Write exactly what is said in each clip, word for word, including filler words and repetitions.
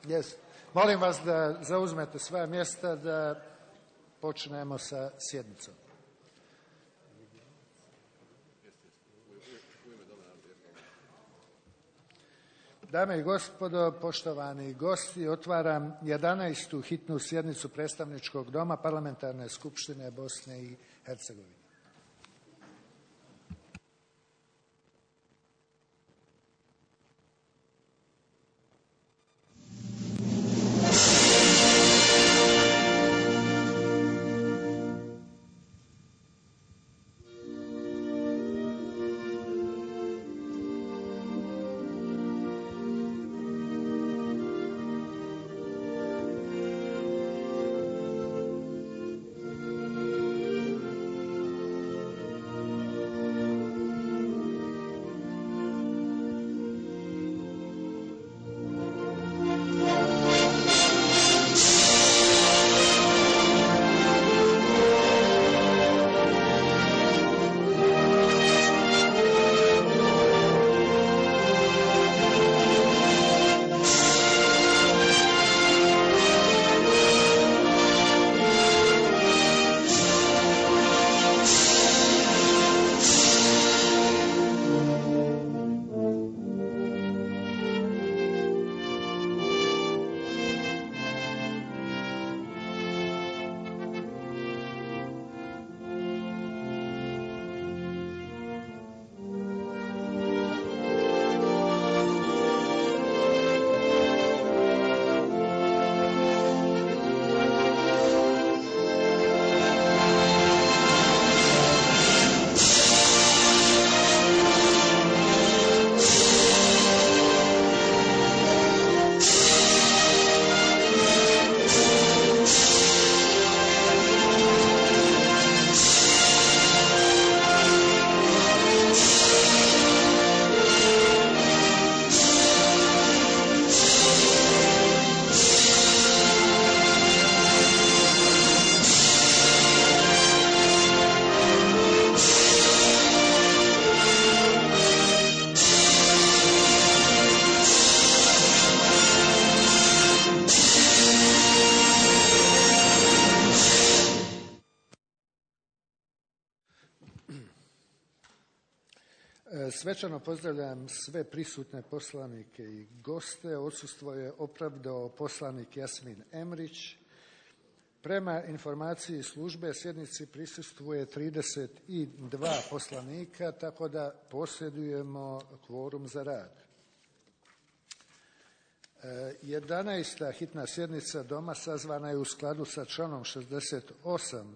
Yes. Molim vas da zauzmete svoja mjesta da počnemo sa sjednicom. Dame i gospodo, poštovani gosti, otvaram jedanaestu hitnu sjednicu Predstavničkog doma Parlamentarne skupštine Bosne i Hercegovine. Svečano pozdravljam sve prisutne poslanike i goste. Odsustvo je opravdao poslanik Jasmin Emrić. Prema informaciji službe sjednici prisustvuje trideset dva poslanika, tako da posjedujemo kvorum za rad. jedanaesta hitna sjednica Doma sazvana je u skladu sa članom šezdeset osam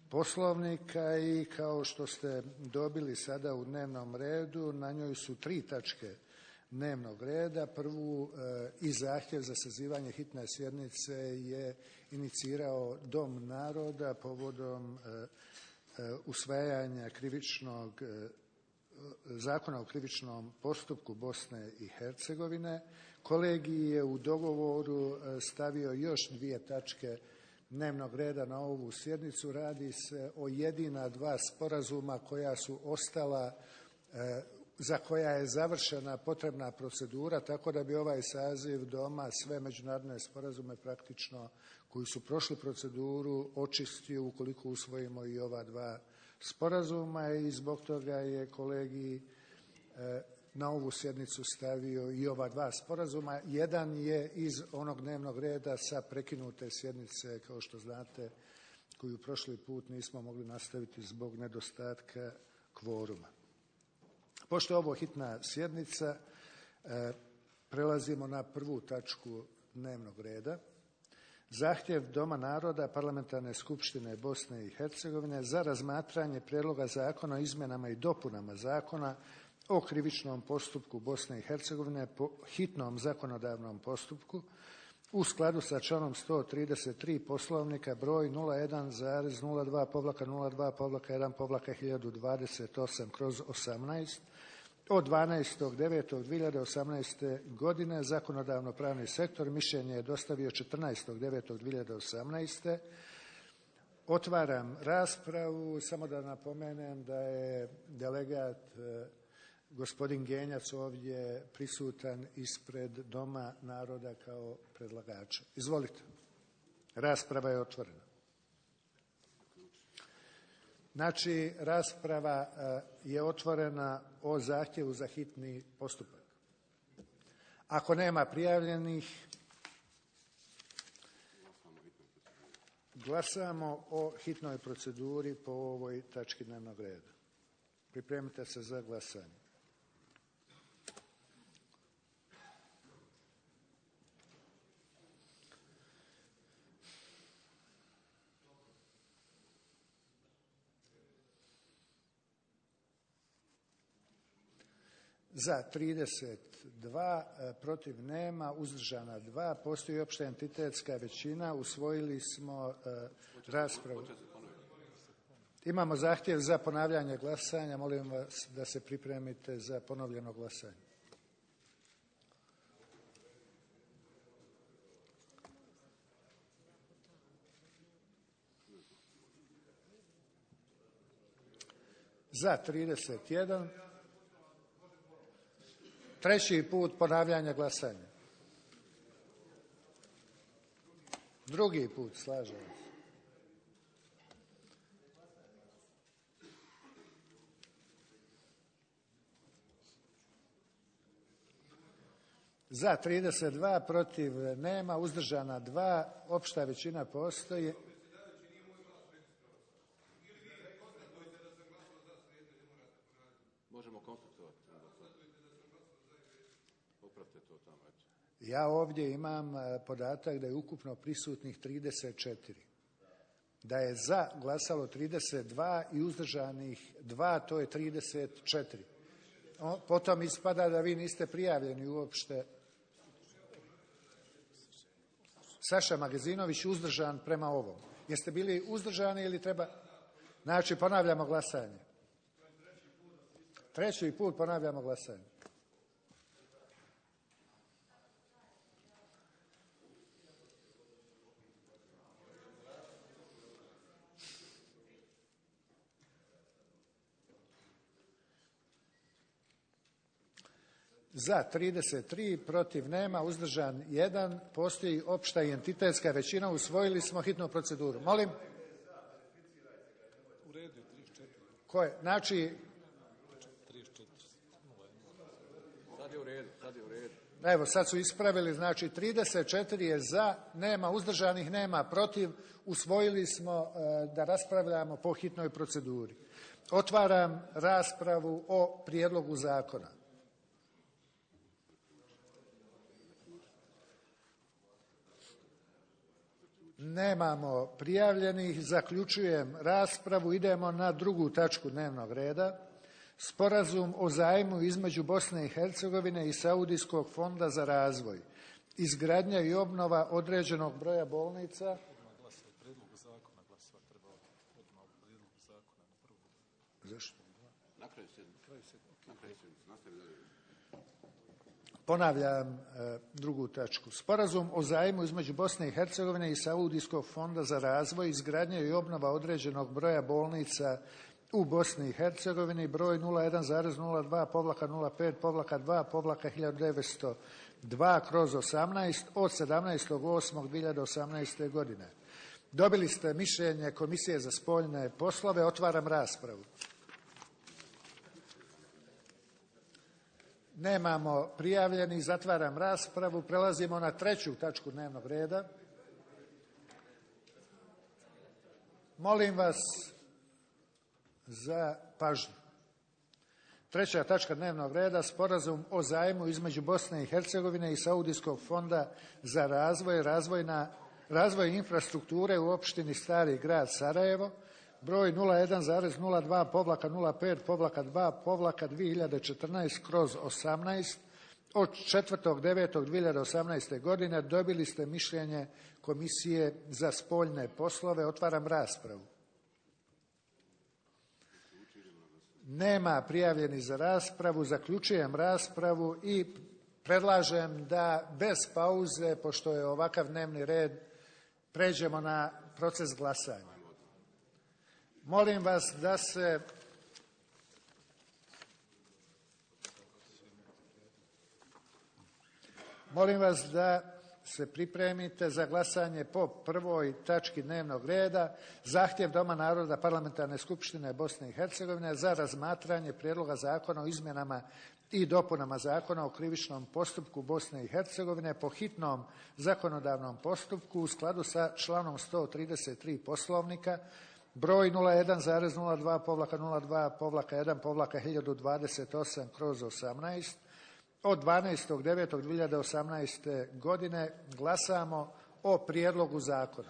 Poslovnika i kao što ste dobili sada u dnevnom redu, na njoj su tri tačke dnevnog reda. Prvu i zahtjev za sazivanje hitne sjednice je inicirao Dom naroda povodom usvajanja krivičnog Zakona o krivičnom postupku Bosne i Hercegovine. Kolegij je u dogovoru stavio još dvije tačke dnevnog reda na ovu sjednicu. Radi se o jedina dva sporazuma koja su ostala, za koja je završena potrebna procedura, tako da bi ovaj saziv Doma sve međunarodne sporazume praktično koji su prošli proceduru očistio ukoliko usvojimo i ova dva sporazuma i zbog toga je kolegij na ovu sjednicu stavio i ova dva sporazuma. Jedan je iz onog dnevnog reda sa prekinute sjednice, kao što znate, koju prošli put nismo mogli nastaviti zbog nedostatka kvoruma. Pošto je ovo hitna sjednica, prelazimo na prvu tačku dnevnog reda. Zahtjev Doma naroda Parlamentarne skupštine Bosne i Hercegovine za razmatranje prijedloga zakona o izmjenama i dopunama zakona o krivičnom postupku Bosne i Hercegovine po hitnom zakonodavnom postupku u skladu sa članom sto trideset tri Poslovnika broj nula jedan zarez nula dva nula dva jedan hiljadu dvadeset osam kroz osamnaest od dvanaestog devetog dvije hiljade osamnaeste. godine. Zakonodavno-pravni sektor mišljenje je dostavio četrnaestog devetog dvije hiljade osamnaeste. Otvaram raspravu. Samo da napomenem da je delegat gospodin Genjac ovdje prisutan ispred Doma naroda kao predlagača. Izvolite. Rasprava je otvorena. Znači, rasprava je otvorena o zahtjevu za hitni postupak. Ako nema prijavljenih, glasamo o hitnoj proceduri po ovoj tački dnevnog reda. Pripremite se za glasanje. Za trideset dva, protiv nema, uzdržana dva, postoji opšta entitetska većina, usvojili smo uh, raspravu. Imamo zahtjev za ponavljanje glasanja, molim vas da se pripremite za ponovljeno glasanje. Za trideset jedan. Treći put ponavljanje glasanja. Drugi put, slažem se. Za trideset dva, protiv nema, uzdržana dva, opšta većina postoji. Možemo konstatovati. Popravite to tamo. Ja ovdje imam podatak da je ukupno prisutnih trideset četiri. Da je za glasalo trideset dva i uzdržanih dva, to je trideset četiri. Potom ispada da vi niste prijavljeni uopšte. Saša Magazinović uzdržan prema ovom. Jeste bili uzdržani ili treba? Znači, ponavljamo glasanje. Treći put ponavljamo glasanje. Za trideset tri, protiv nema, uzdržan jedan, postoji opšta i entitetska većina, usvojili smo hitnu proceduru. Molim? U redu, trideset četiri. Ko je? Znači... trideset četiri. Sad je u redu, sad je u redu. Evo, sad su ispravili, znači trideset četiri je za, nema uzdržanih, nema protiv, usvojili smo da raspravljamo po hitnoj proceduri. Otvaram raspravu o prijedlogu zakona. Nemamo prijavljenih, zaključujem raspravu, idemo na drugu tačku dnevnog reda. Sporazum o zajmu između Bosne i Hercegovine i Saudijskog fonda za razvoj. Izgradnja i obnova određenog broja bolnica. Zašto? Ponavljam e, drugu tačku. Sporazum o zajmu između Bosne i Hercegovine i Saudijskog fonda za razvoj, izgradnja i obnova određenog broja bolnica u Bosni i Hercegovini, broj nula jedan zarez nula dva nula pet dva hiljadu devetsto dva kroz osamnaest od sedamnaestog osmog dve hiljade osamnaeste. godine. Dobili ste mišljenje Komisije za spoljne poslove. Otvaram raspravu. Nemamo prijavljenih, zatvaram raspravu. Prelazimo na treću tačku dnevnog reda. Molim vas za pažnju. Treća tačka dnevnog reda, sporazum o zajmu između Bosne i Hercegovine i Saudijskog fonda za razvoj, razvojna, razvoj infrastrukture u opštini Stari grad Sarajevo, broj nula jedan zarez nula dva nula pet dva dve hiljade četrnaest kroz osamnaest od četvrtog devetog dve hiljade osamnaeste. godine. Dobili ste mišljenje Komisije za spoljne poslove. Otvaram raspravu. Nema prijavljenih za raspravu. Zaključujem raspravu i predlažem da bez pauze, pošto je ovakav dnevni red, pređemo na proces glasanja. Molim vas da se Molim vas da se pripremite za glasanje po prvoj tački dnevnog reda, zahtjev Doma naroda Parlamentarne skupštine Bosne i Hercegovine za razmatranje prijedloga zakona o izmjenama i dopunama Zakona o krivičnom postupku Bosne i Hercegovine po hitnom zakonodavnom postupku u skladu sa članom sto trideset tri Poslovnika, broj nula jedan zarez nula dva nula dva jedan hiljadu dvadeset osam kroz osamnaest, od dvanaestog devetog dve hiljade osamnaeste. godine glasamo o prijedlogu zakona.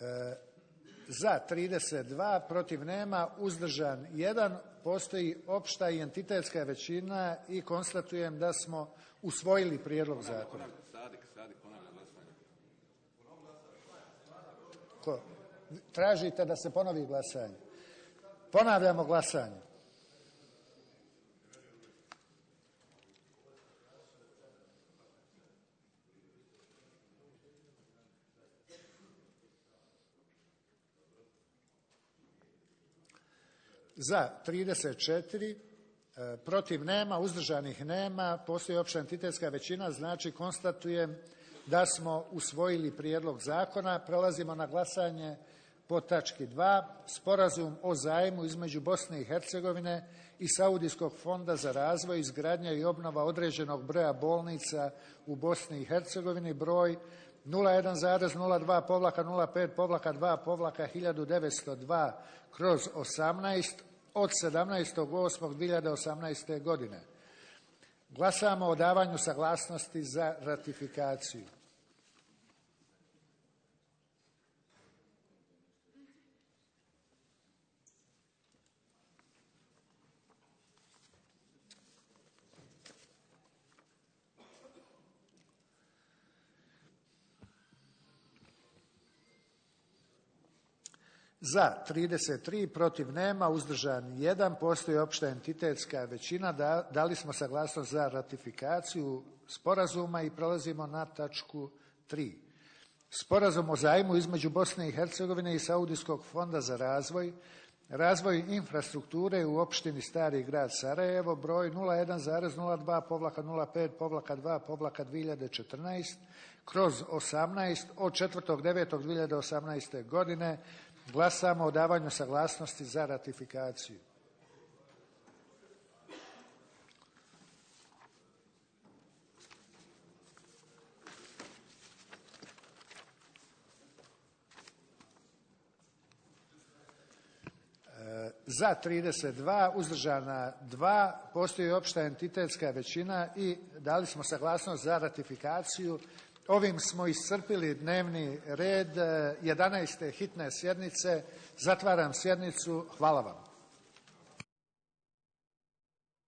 E, za trideset dva, protiv nema, uzdržan jedan, postoji opšta i entitetska većina i konstatujem da smo usvojili prijedlog zakona. Ko? Tražite da se ponovi glasanje? Ponavljamo glasanje. Za trideset četiri, protiv nema, uzdržanih nema, postoji opća entitetska većina, znači konstatujem da smo usvojili prijedlog zakona. Prelazimo na glasanje po tački dva. Sporazum o zajmu između Bosne i Hercegovine i Saudijskog fonda za razvoj, izgradnja i obnova određenog broja bolnica u Bosni i Hercegovini, broj nula jedan zarez nula dva nula pet dva hiljadu devetsto dva kroz osamnaest od sedamnaestog osmog dve hiljade osamnaeste. godine. Glasamo o davanju saglasnosti za ratifikaciju. Za trideset tri, protiv nema, uzdržan jedan, postoji opšta entitetska većina, da, dali smo saglasnost za ratifikaciju sporazuma i prelazimo na tačku tri. Sporazum o zajmu između Bosne i Hercegovine i Saudijskog fonda za razvoj, razvoj infrastrukture u opštini Stari grad Sarajevo, broj nula jedan zarez nula dva nula pet dva dve hiljade četrnaest kroz osamnaest od četvrtog devetog dve hiljade osamnaeste. godine. Glasamo o davanju saglasnosti za ratifikaciju. Za trideset dva, uzdržana dva, postoji opšta entitetska većina i dali smo saglasnost za ratifikaciju. Ovim smo iscrpili dnevni red jedanaeste hitne sjednice. Zatvaram sjednicu. Hvala vam.